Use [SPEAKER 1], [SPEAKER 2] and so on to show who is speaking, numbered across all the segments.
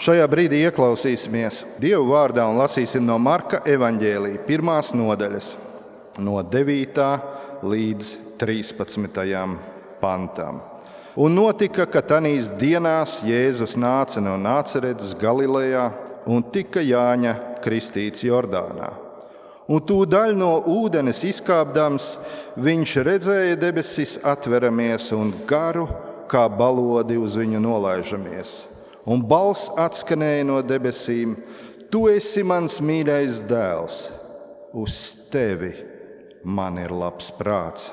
[SPEAKER 1] Šajā brīdī ieklausīsimies Dieva vārdā un lasīsim no Marka evaņģēlija 1. nodaļas, no 9. līdz 13. pantam. Un notika, ka tanīs dienās Jēzus nāca no Nāceretes Galilejā un tika Jāņa kristīts Jordānā. Un tūdaļ no ūdenes izkāpdams, viņš redzēja debesis atveramies un garu kā balodi uz viņu nolaižamies. Un balss atskanēja no debesīm: Tu esi mans mīļais dēls, uz tevi man ir labs prāts.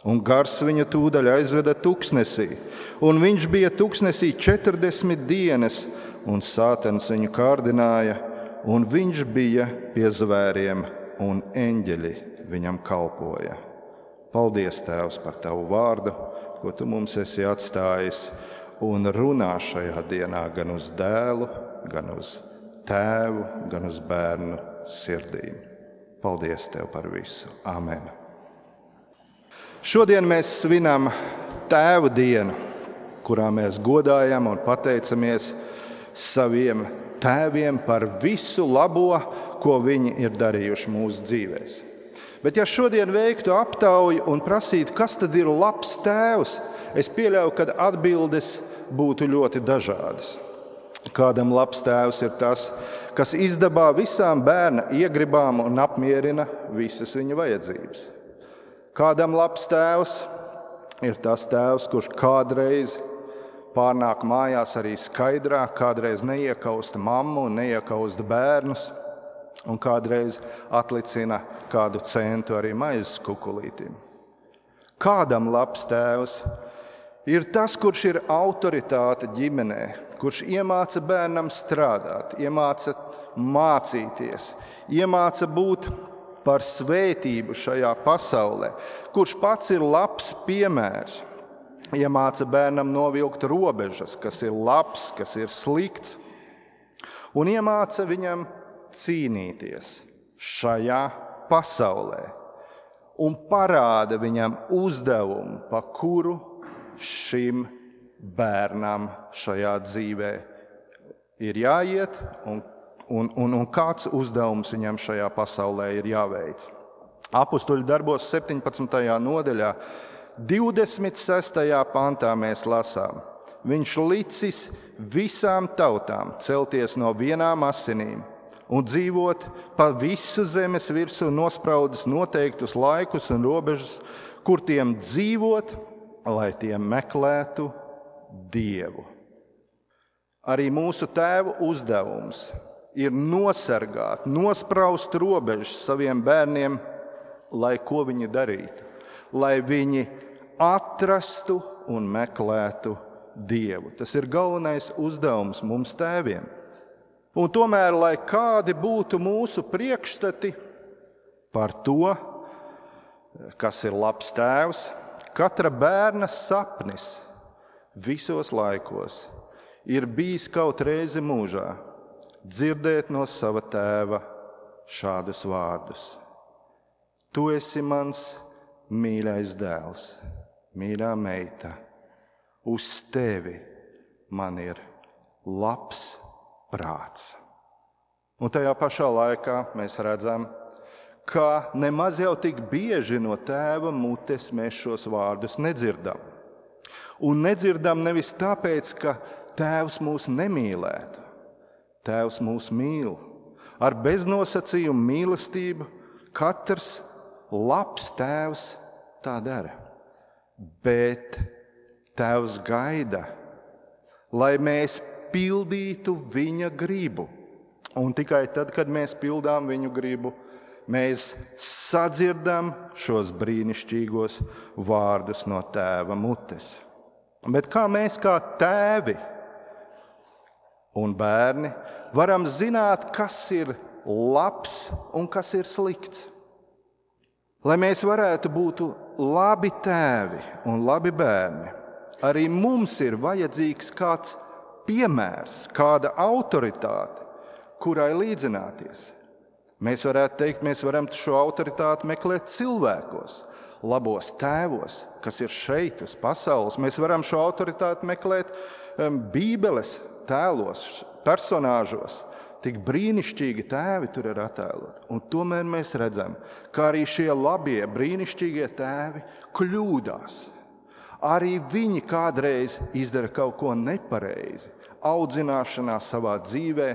[SPEAKER 1] Un gars viņu tūdaļ aizveda tuksnesī, un viņš bija tuksnesī 40 dienas, un Sātans viņu kārdināja, un viņš bija pie zvēriem, un eņģeļi viņam kalpoja. Paldies, Tēvs, par tavu vārdu, ko tu mums esi atstājis, un runā šajā dienā gan uz dēlu, gan uz tēvu, gan uz bērnu sirdīm. Paldies Tev par visu. Amen. Šodien mēs svinam Tēva dienu, kurā mēs godājam un pateicamies saviem tēviem par visu labo, ko viņi ir darījuši mūsu dzīvēs. Bet ja šodien veiktu aptauju un prasītu, kas tad ir labs tēvs, es pieļauju, ka atbildes būtu ļoti dažādas. Kādam labs tēvs ir tas, kas izdabā visām bērna iegribām un apmierina visas viņa vajadzības. Kādam labs tēvs ir tas tēvs, kurš kādreiz pārnāk mājās arī skaidrā, kādreiz neiekausta mammu un neiekausta bērnus, un kādreiz atlicina kādu centu arī maizes kukulītim. Kādam labs tēvs ir tas, kurš ir autoritāte ģimenē, kurš iemāca bērnam strādāt, iemāca mācīties, iemāca būt par svētību šajā pasaulē, kurš pats ir labs piemērs, iemāca bērnam novilkt robežas, kas ir labs, kas ir slikts, un iemāca viņam cīnīties šajā pasaulē un parāda viņam uzdevumu, pa kuru šim bērnam šajā dzīvē ir jāiet un kāds uzdevums viņam šajā pasaulē ir jāveic. Apostuļu darbos 17. nodaļā 26. pantā mēs lasām: Viņš licis visām tautām celties no vienām asinīm un dzīvot pa visu zemes virsmu, nospraudis noteiktus laikus un robežas, kur tiem dzīvot, lai tie meklētu Dievu. Arī mūsu tēvu uzdevums ir nosargāt, nospraust robežas saviem bērniem, lai ko viņi darītu, lai viņi atrastu un meklētu Dievu. Tas ir galvenais uzdevums mums tēviem. Un tomēr, lai kādi būtu mūsu priekšstati par to, kas ir labs tēvs, katra bērna sapnis visos laikos ir bijis kaut reizi mūžā dzirdēt no sava tēva šādus vārdus: Tu esi mans mīļais dēls, mīļā meita, uz tevi man ir labs prāts. Un tajā pašā laikā mēs redzam, ka nemaz jau tik bieži no tēva mutes mēs šos vārdus nedzirdam. Un nedzirdam nevis tāpēc, ka tēvs mūs nemīlētu. Tēvs mūs mīl. Ar beznosacījumu mīlestību katrs labs tēvs tā dara. Bet tēvs gaida, lai mēs pildītu viņa gribu. Un tikai tad, kad mēs pildām viņu gribu, mēs sadzirdam šos brīnišķīgos vārdus no tēva mutes. Bet kā mēs kā tēvi un bērni varam zināt, kas ir labs un kas ir slikts? Lai mēs varētu būt labi tēvi un labi bērni, arī mums ir vajadzīgs kāds piemērs, kāda autoritāte, kurai līdzināties. Mēs varētu teikt, mēs varam šo autoritāti meklēt cilvēkos, labos tēvos, kas ir šeit uz pasaules. Mēs varam šo autoritāti meklēt Bībeles tēlos, personāžos tik brīnišķīgi tēvi tur ir attēloti. Un tomēr mēs redzam, ka arī šie labie, brīnišķīgie tēvi kļūdās. Arī viņi kādreiz izdara kaut ko nepareizi, audzināšanā savā dzīvē,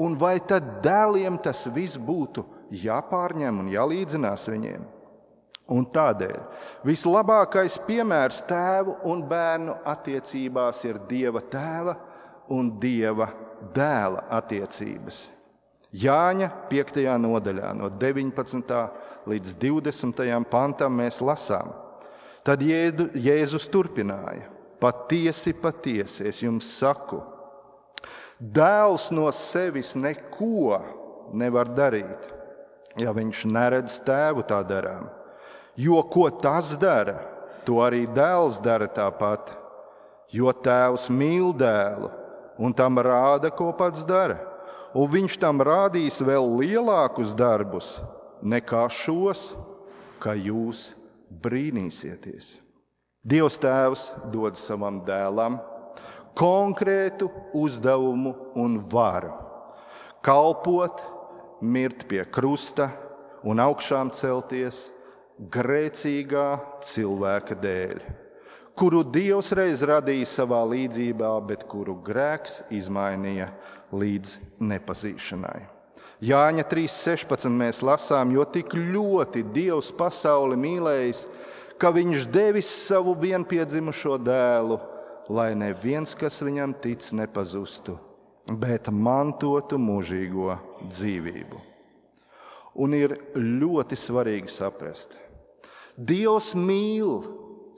[SPEAKER 1] un vai tad dēliem tas viss būtu jāpārņem un jālīdzinās viņiem? Un tādēļ vislabākais piemērs tēvu un bērnu attiecībās ir Dieva tēva un Dieva dēla attiecības. Jāņa 5. nodaļā no 19. līdz 20. pantam mēs lasām. Tad Jēzus turpināja: patiesi, patiesi, es jums saku, dēls no sevis neko nevar darīt, ja viņš neredz tēvu tā darām. Jo ko tas dara, to arī dēls dara tāpat. Jo tēvs mīl dēlu un tam rāda, ko pats dara. Un viņš tam rādīs vēl lielākus darbus nekā šos, ka jūs brīnīsieties. Dievs tēvs dod savam dēlam konkrētu uzdevumu un varu kalpot, mirt pie krusta un augšām celties grēcīgā cilvēka dēļ, kuru Dievs reiz radīja savā līdzībā, bet kuru grēks izmainīja līdz nepazīšanai. Jāņa 3.16 mēs lasām, jo tik ļoti Dievs pasauli mīlējis, ka viņš devis savu vienpiedzimušo dēlu, lai neviens, kas viņam tic, nepazustu, bet mantotu mūžīgo dzīvību. Un ir ļoti svarīgi saprast, Dievs mīl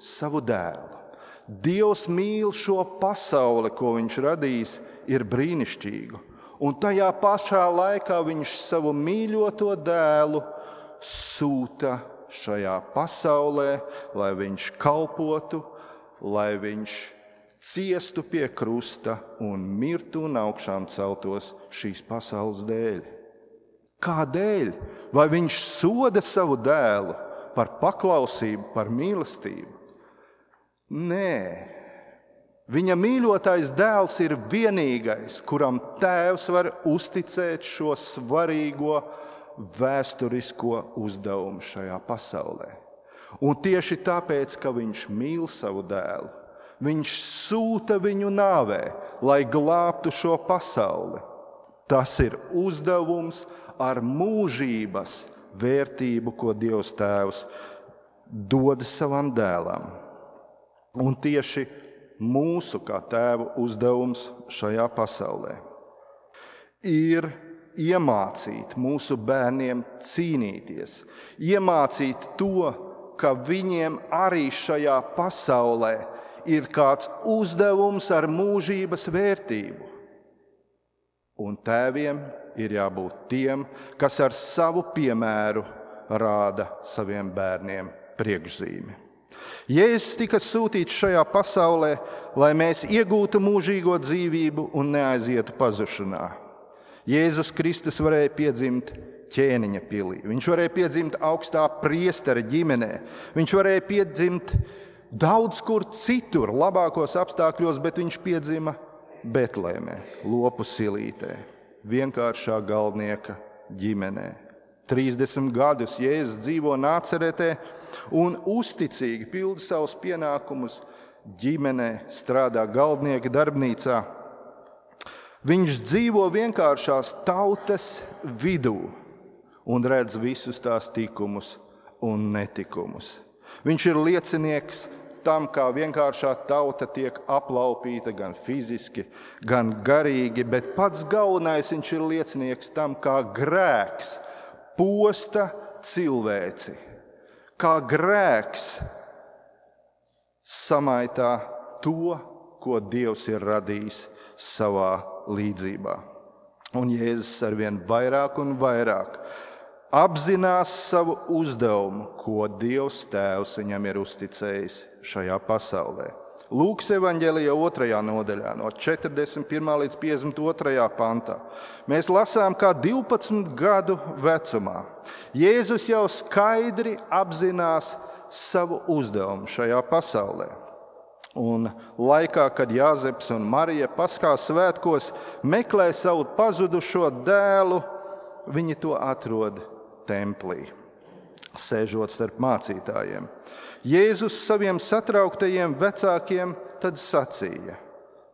[SPEAKER 1] savu dēlu. Dievs mīl šo pasauli, ko viņš radījis, ir brīnišķīgu. Un tajā pašā laikā viņš savu mīļoto dēlu sūta šajā pasaulē, lai viņš kalpotu, lai viņš ciestu pie krusta un mirtu un augšām celtos šīs pasaules dēļ. Kādēļ? Vai viņš soda savu dēlu par paklausību, par mīlestību? Nē. Viņa mīļotais dēls ir vienīgais, kuram tēvs var uzticēt šo svarīgo vēsturisko uzdevumu šajā pasaulē. Un tieši tāpēc, ka viņš mīl savu dēlu, viņš sūta viņu nāvē, lai glābtu šo pasauli. Tas ir uzdevums ar mūžības vērtību, ko Dievs tēvs dod savam dēlam. Un tieši mūsu kā tēva uzdevums šajā pasaulē ir iemācīt mūsu bērniem cīnīties, iemācīt to, ka viņiem arī šajā pasaulē ir kāds uzdevums ar mūžības vērtību. Un tēviem ir jābūt tiem, kas ar savu piemēru rāda saviem bērniem priekšzīmi. Jēzus tika sūtīts šajā pasaulē, lai mēs iegūtu mūžīgo dzīvību un neaizietu pazušanā. Jēzus Kristus varēja piedzimt ķēniņa pilī, viņš varēja piedzimt augstā priestera ģimenē, viņš varēja piedzimt daudz kur citur, labākos apstākļos, bet viņš piedzima Betlēmē, lopu silītē, vienkāršā galdnieka ģimenē. 30 gadus Jēzus dzīvo Nāceretē un uzticīgi pilda savus pienākumus ģimenē, strādā galdnieka darbnīcā. Viņš dzīvo vienkāršās tautas vidū un redz visus tās tikumus un netikumus. Viņš ir liecinieks tam, kā vienkāršā tauta tiek aplaupīta gan fiziski, gan garīgi, bet pats galvenais viņš ir liecinieks tam, kā grēks posta cilvēci, kā grēks samaitā to, ko Dievs ir radījis savā līdzībā. Un Jēzus arvien vairāk un vairāk apzinās savu uzdevumu, ko Dievs tēvs viņam ir uzticējis šajā pasaulē. Lūkas evaņģēlija 2. nodaļā no 41. līdz 52. pantā. Mēs lasām, kā 12 gadu vecumā Jēzus jau skaidri apzinās savu uzdevumu šajā pasaulē. Un laikā, kad Jāzeps un Marija Paskās svētkos meklē savu pazudušo dēlu, viņi to atrod templī, sēžot starp mācītājiem. Jēzus saviem satrauktajiem vecākiem tad sacīja,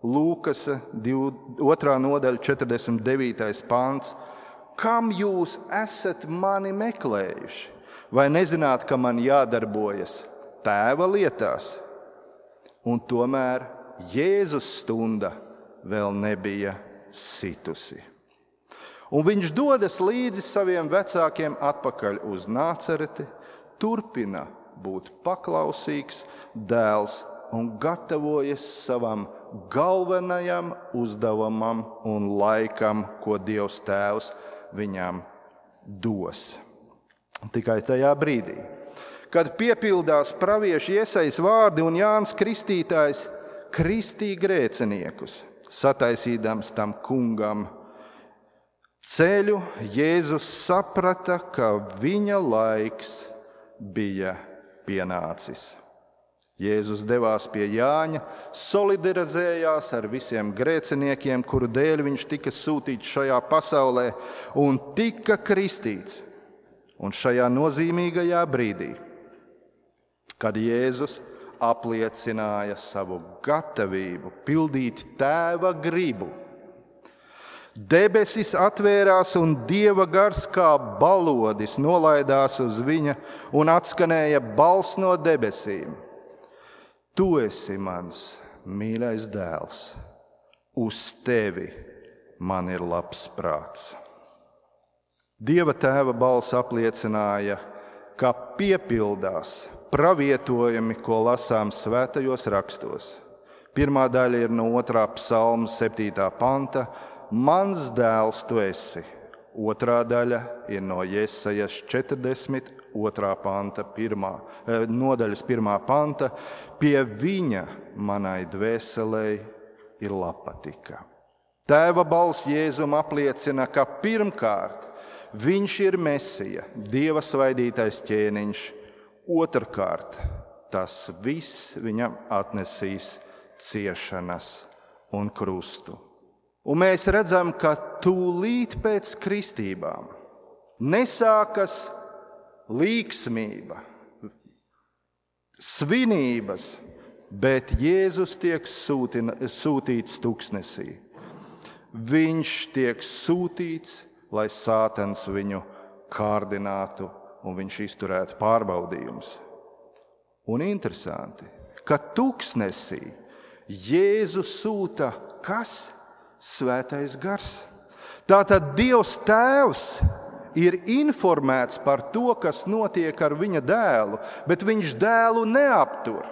[SPEAKER 1] Lūkas 2. nodaļa 49. pants, kam jūs esat mani meklējuši? Vai nezināt, ka man jādarbojas Tēva lietās? Un tomēr Jēzus stunda vēl nebija situsi. Un viņš dodas līdzi saviem vecākiem atpakaļ uz Nācereti, turpina būt paklausīgs dēls un gatavojas savam galvenajam uzdevumam un laikam, ko Dievs Tēvs viņam dos. Tikai tajā brīdī, kad piepildās pravieša Iesajas vārdi un Jānis Kristītājs kristīja grēciniekus, sataisīdams tam kungam ceļu, Jēzus saprata, ka viņa laiks bija pienācis. Jēzus devās pie Jāņa, solidarizējās ar visiem grēciniekiem, kuru dēļ viņš tika sūtīts šajā pasaulē un tika kristīts. Un šajā nozīmīgajā brīdī, kad Jēzus apliecināja savu gatavību pildīt Tēva gribu, debesis atvērās un Dieva gars kā balodis nolaidās uz viņa un atskanēja balss no debesīm. Tu esi mans mīļais dēls, uz tevi man ir labs prāts. Dieva Tēva balss apliecināja, ka piepildās pravietojumi, ko lasām svētajos rakstos. Pirmā daļa ir no 2. psalma 7. panta. Mans dēls tu esi. Otrā daļa ir no Jesajas 42. panta, nodaļas 1. panta. Pie viņa manai dvēselei ir labpatika. Tēva balss Jēzum apliecina, ka pirmkārt viņš ir Mesija, Dieva svaidītais ķēniņš. Otrkārt, tas viss viņam atnesīs ciešanas un krustu. Un mēs redzam, ka tūlīt pēc kristībām nesākas līksmība, svinības, bet Jēzus tiek sūtīts tuksnesī. Viņš tiek sūtīts, lai Sātans viņu kārdinātu un viņš izturētu pārbaudījumus. Un interesanti, ka tuksnesī Jēzus sūta kas? Svētais gars. Tātad Dievs Tēvs ir informēts par to, kas notiek ar viņa dēlu, bet viņš dēlu neaptur.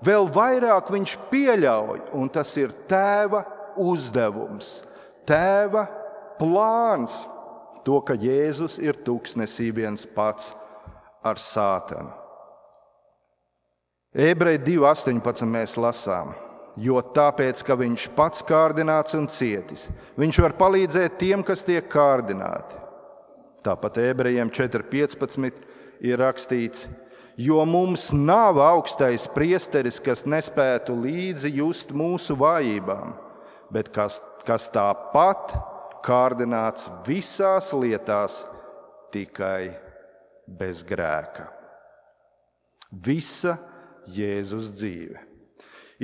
[SPEAKER 1] Vēl vairāk viņš pieļauj, un tas ir Tēva uzdevums, Tēva plāns, to, ka Jēzus ir tuksnesī viens pats ar Sātanu. Ebreji 2.18 mēs lasām, jo tāpēc, ka viņš pats kārdināts un cietis, viņš var palīdzēt tiem, kas tiek kārdināti. Tāpat Ebrejiem 4.15 ir rakstīts, jo mums nav augstais priesteris, kas nespētu līdzi just mūsu vājībām, bet kas tāpat kārdināts visās lietās, tikai bez grēka. Visa Jēzus dzīve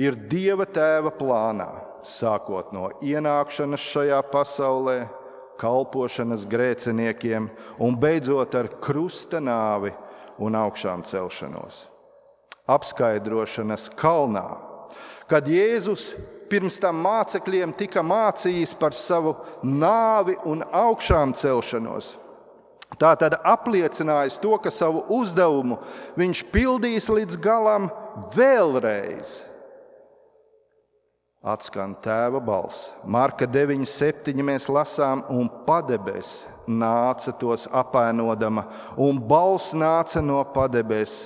[SPEAKER 1] ir Dieva Tēva plānā, sākot no ienākšanas šajā pasaulē, kalpošanas grēciniekiem un beidzot ar krusta nāvi un augšām celšanos. Apskaidrošanas kalnā, kad Jēzus pirms tam mācekļiem tika mācījis par savu nāvi un augšām celšanos, tātad apliecinājis to, ka savu uzdevumu viņš pildīs līdz galam vēlreiz. Atskan Tēva balss. Marka 9.7 mēs lasām, un padebes nāca tos apēnodama, un balss nāca no padebes.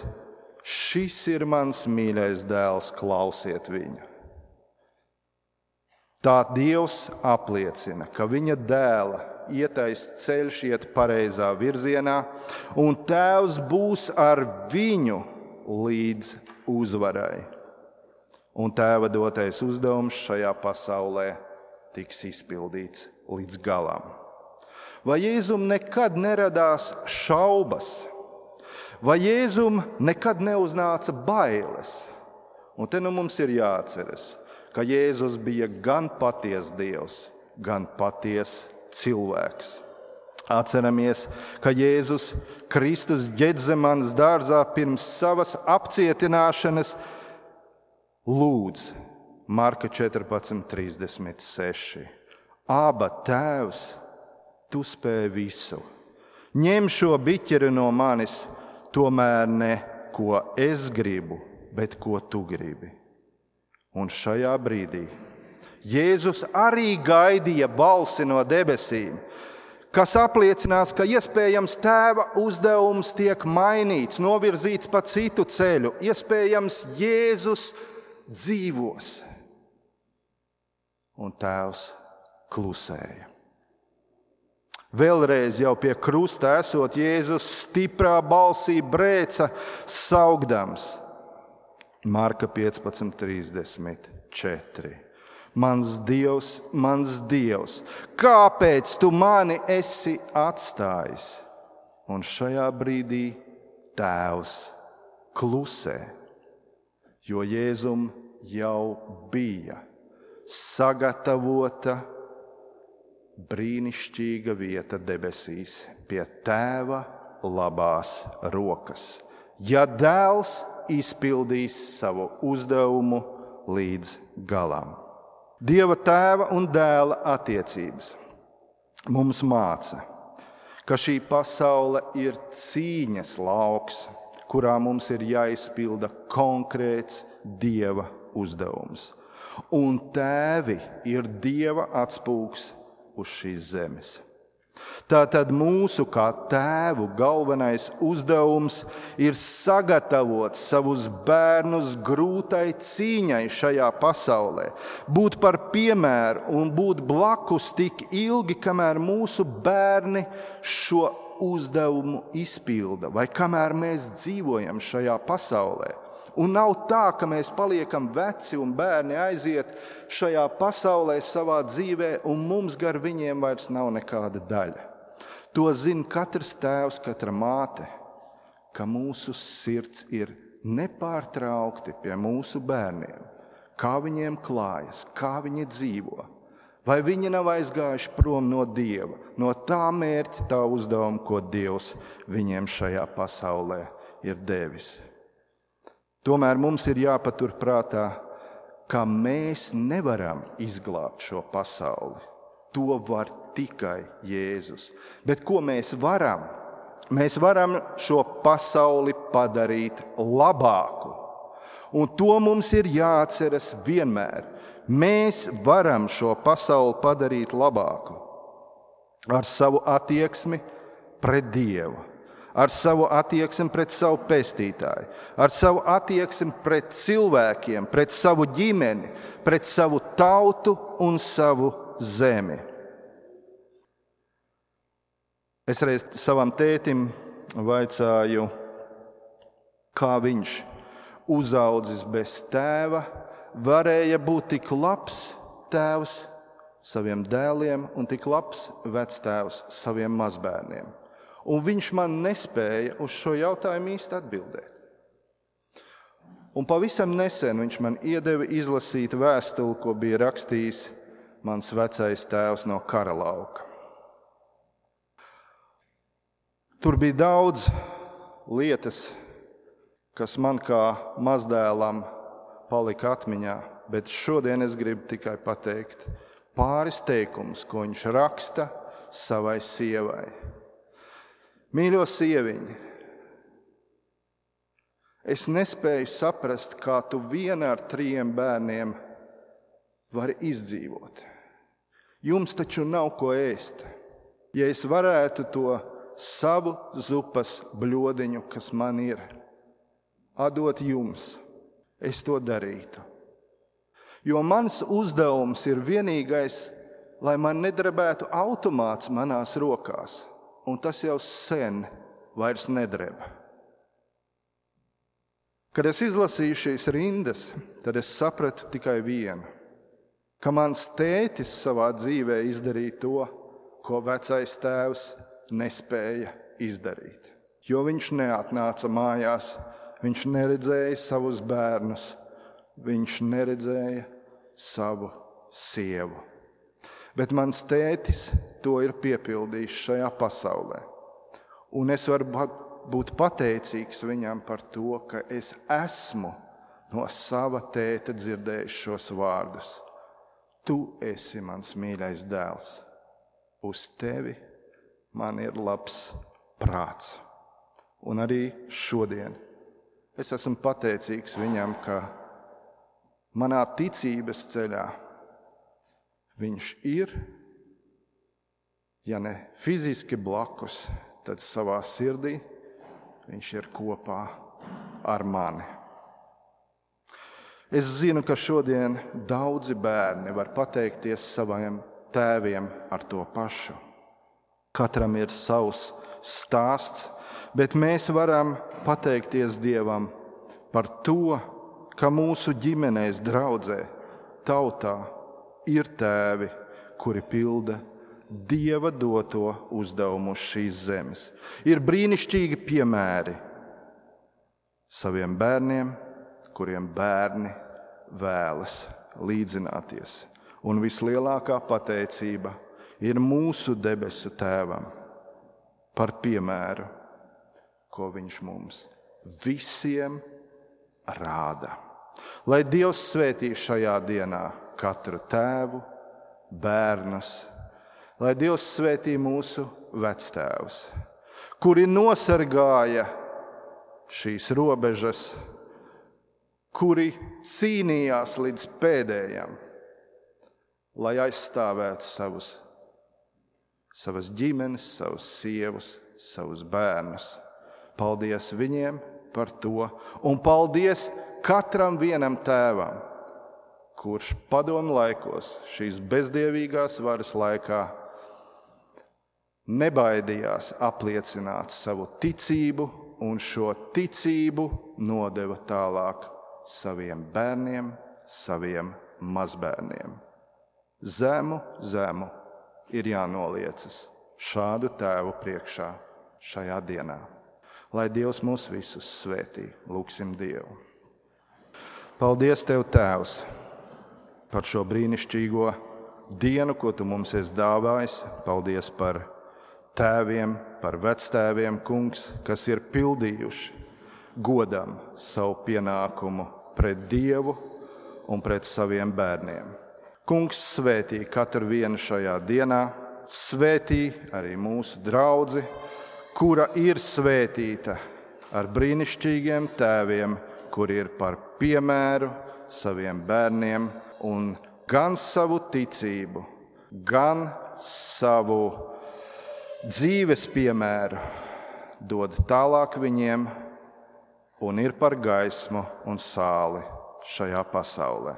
[SPEAKER 1] Šis ir mans mīļais dēls, klausiet viņu. Tā Dievs apliecina, ka viņa dēla ietais ceļš iet pareizā virzienā, un Tēvs būs ar viņu līdz uzvarai. un Tēva dotais uzdevums šajā pasaulē tiks izpildīts līdz galam. Vai Jēzum nekad neradās šaubas? Vai Jēzum nekad neuznāca bailes? Un te mums ir jāatceras, ka Jēzus bija gan patiess Dievs, gan patiess cilvēks. Atceramies, ka Jēzus Kristus Ģedzemanas dārzā pirms savas apcietināšanas lūdz Marka 14:36. Aba, Tēvs, tu spēj visu. Ņem šo biķeri no manis, tomēr ne ko es gribu, bet ko tu gribi. Un šajā brīdī Jēzus arī gaidīja balsi no debesīm, kas apliecinās, ka iespējams Tēva uzdevums tiek mainīts, novirzīts pa citu ceļu. Iespējams Jēzus dzīvos. Un Tēvs klusēja. Vēlreiz jau pie krusta esot, Jēzus stiprā balsī brēca saukdams. Marka 15:34. Mans Dievs, kāpēc tu mani esi atstājis? Un šajā brīdī Tēvs klusē, jo Jēzum jau bija sagatavota brīnišķīga vieta debesīs pie Tēva labās rokas, ja Dēls izpildīs savu uzdevumu līdz galam. Dieva Tēva un Dēla attiecības mums māca, ka šī pasaule ir cīņas lauks, kurā mums ir jāizpilda konkrēts Dieva uzdevums. Un tēvi ir Dieva atspūgs uz šīs zemes. Tātad mūsu kā tēvu galvenais uzdevums ir sagatavot savus bērnus grūtai cīņai šajā pasaulē, būt par piemēru un būt blakus tik ilgi, kamēr mūsu bērni šo uzdevumu izpilda vai kamēr mēs dzīvojam šajā pasaulē. Un nav tā, ka mēs paliekam veci un bērni aiziet šajā pasaulē savā dzīvē, un mums gar viņiem vairs nav nekāda daļa. To zina katrs tēvs, katra māte, ka mūsu sirds ir nepārtraukti pie mūsu bērniem, kā viņiem klājas, kā viņi dzīvo. Vai viņi nav aizgājuši prom no Dieva, no tā mērķa, tā uzdevuma, ko Dievs viņiem šajā pasaulē ir devis. Tomēr mums ir jāpatur prātā, ka mēs nevaram izglābt šo pasauli. To var tikai Jēzus. Bet ko mēs varam? Mēs varam šo pasauli padarīt labāku. Un to mums ir jāatceras vienmēr. Mēs varam šo pasauli padarīt labāku ar savu attieksmi pret Dievu, ar savu attieksmi pret savu pestītāju, ar savu attieksmi pret cilvēkiem, pret savu ģimeni, pret savu tautu un savu zemi. Es reiz savam tētim vaicāju, kā viņš uzaudzis bez tēva varēja būt tik labs tēvs saviem dēliem un tik labs vectēvs saviem mazbērniem. Un viņš man nespēja uz šo jautājumu īsti atbildēt. Un pavisam nesen viņš man iedeva izlasīt vēstuli, ko bija rakstījis mans vecais tēvs no kara lauka. Tur bija daudz lietas, kas man kā mazdēlam palika atmiņā, bet šodien es gribu tikai pateikt pāris teikumus, ko viņš raksta savai sievai. Mīļo sieviņ, es nespēju saprast, kā tu viena ar 3 bērniem vari izdzīvot. Jums taču nav ko ēst. Ja es varētu to savu zupas bļodiņu, kas man ir, atdot jums, es to darītu. Jo mans uzdevums ir vienīgais, lai man nedrebētu automāts manās rokās, un tas jau sen vairs nedreba. Kad es izlasīju šīs rindas, tad es sapratu tikai vienu, ka mans tētis savā dzīvē izdarīja to, ko vecais tēvs nespēja izdarīt. Jo viņš neatnāca mājās, viņš neredzēja savus bērnus, viņš neredzēja savu sievu. Bet mans tētis to ir piepildījis šajā pasaulē. Un es varu būt pateicīgs viņam par to, ka es esmu no sava tēta dzirdējis šos vārdus. Tu esi mans mīļais dēls. Uz tevi man ir labs prāts. Un arī šodien es esmu pateicīgs viņam, ka manā ticības ceļā viņš ir, ja ne fiziski blakus, tad savā sirdī viņš ir kopā ar mani. Es zinu, ka šodien daudzi bērni var pateikties saviem tēviem ar to pašu. Katram ir savs stāsts, bet mēs varam pateikties Dievam par to, ka mūsu ģimenēs, draudzē, tautā ir tēvi, kuri pilda Dieva doto uzdevumu uz šīs zemes. Ir brīnišķīgi piemēri saviem bērniem, kuriem bērni vēlas līdzināties. Un vislielākā pateicība ir mūsu debesu tēvam par piemēru, ko viņš mums visiem rāda. Lai Dievs svētī šajā dienā katru tēvu, bērnus, lai Dievs svētī mūsu vectēvus, kuri nosargāja šīs robežas, kuri cīnījās līdz pēdējam, lai aizstāvētu savas ģimenes, savus sievus, savus bērnus. Paldies viņiem par to, un paldies katram vienam tēvam, kurš padomu laikos, šīs bezdievīgās varas laikā, nebaidījās apliecināt savu ticību un šo ticību nodeva tālāk saviem bērniem, saviem mazbērniem. Zemu ir jānoliecas šādu tēvu priekšā šajā dienā. Lai Dievs mūs visus svētī, lūgsim Dievu. Paldies Tev, Tēvs, par šo brīnišķīgo dienu, ko Tu mums esi dāvājis. Paldies par tēviem, par vectēviem, Kungs, kas ir pildījuši godam savu pienākumu pret Dievu un pret saviem bērniem. Kungs, svētī katru vienu šajā dienā, svētī arī mūsu draudzi, kura ir svētīta ar brīnišķīgiem tēviem, kuri ir par piemēru saviem bērniem un gan savu ticību, gan savu dzīves piemēru dod tālāk viņiem un ir par gaismu un sāli šajā pasaulē.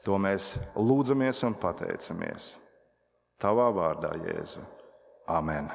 [SPEAKER 1] To mēs lūdzamies un pateicamies. Tavā vārdā, Jēzu. Amen.